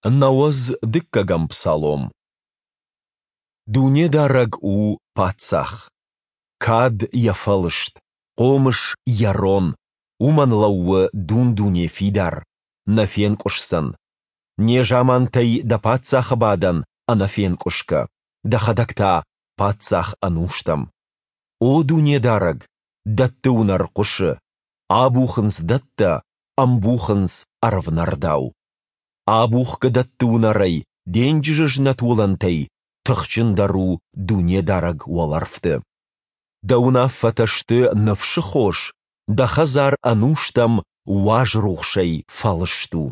92-ӕм псалом. Дунедарӕг у Паддзах! Кад, Йӕ фӕлыст, хъомыс, Йӕ рон, Уымӕн лӕууы дун-дуне фидар, нӕ фенкъуысдзӕн. Незамантӕй Дӕ паддзахы бадӕн ӕнӕфенкъуысгӕ, Дӕхӕдӕг та Паддзах ӕнустӕм. О Дунедарӕг, дӕтты уынӕр хъуысы, абухынц дӕттӕ, ӕмбухынц ӕрвнӕрдау. Абухгӕ дӕтты уынӕрӕй, денджызы знӕт уылӕнтӕй тыхджындӕр у Дунедарӕг уӕлӕрвты. Дӕ уынаффӕтӕ сты ныфсы хос, Дӕ хӕдзар ӕнустӕм уаз рухсӕй фӕлыст у.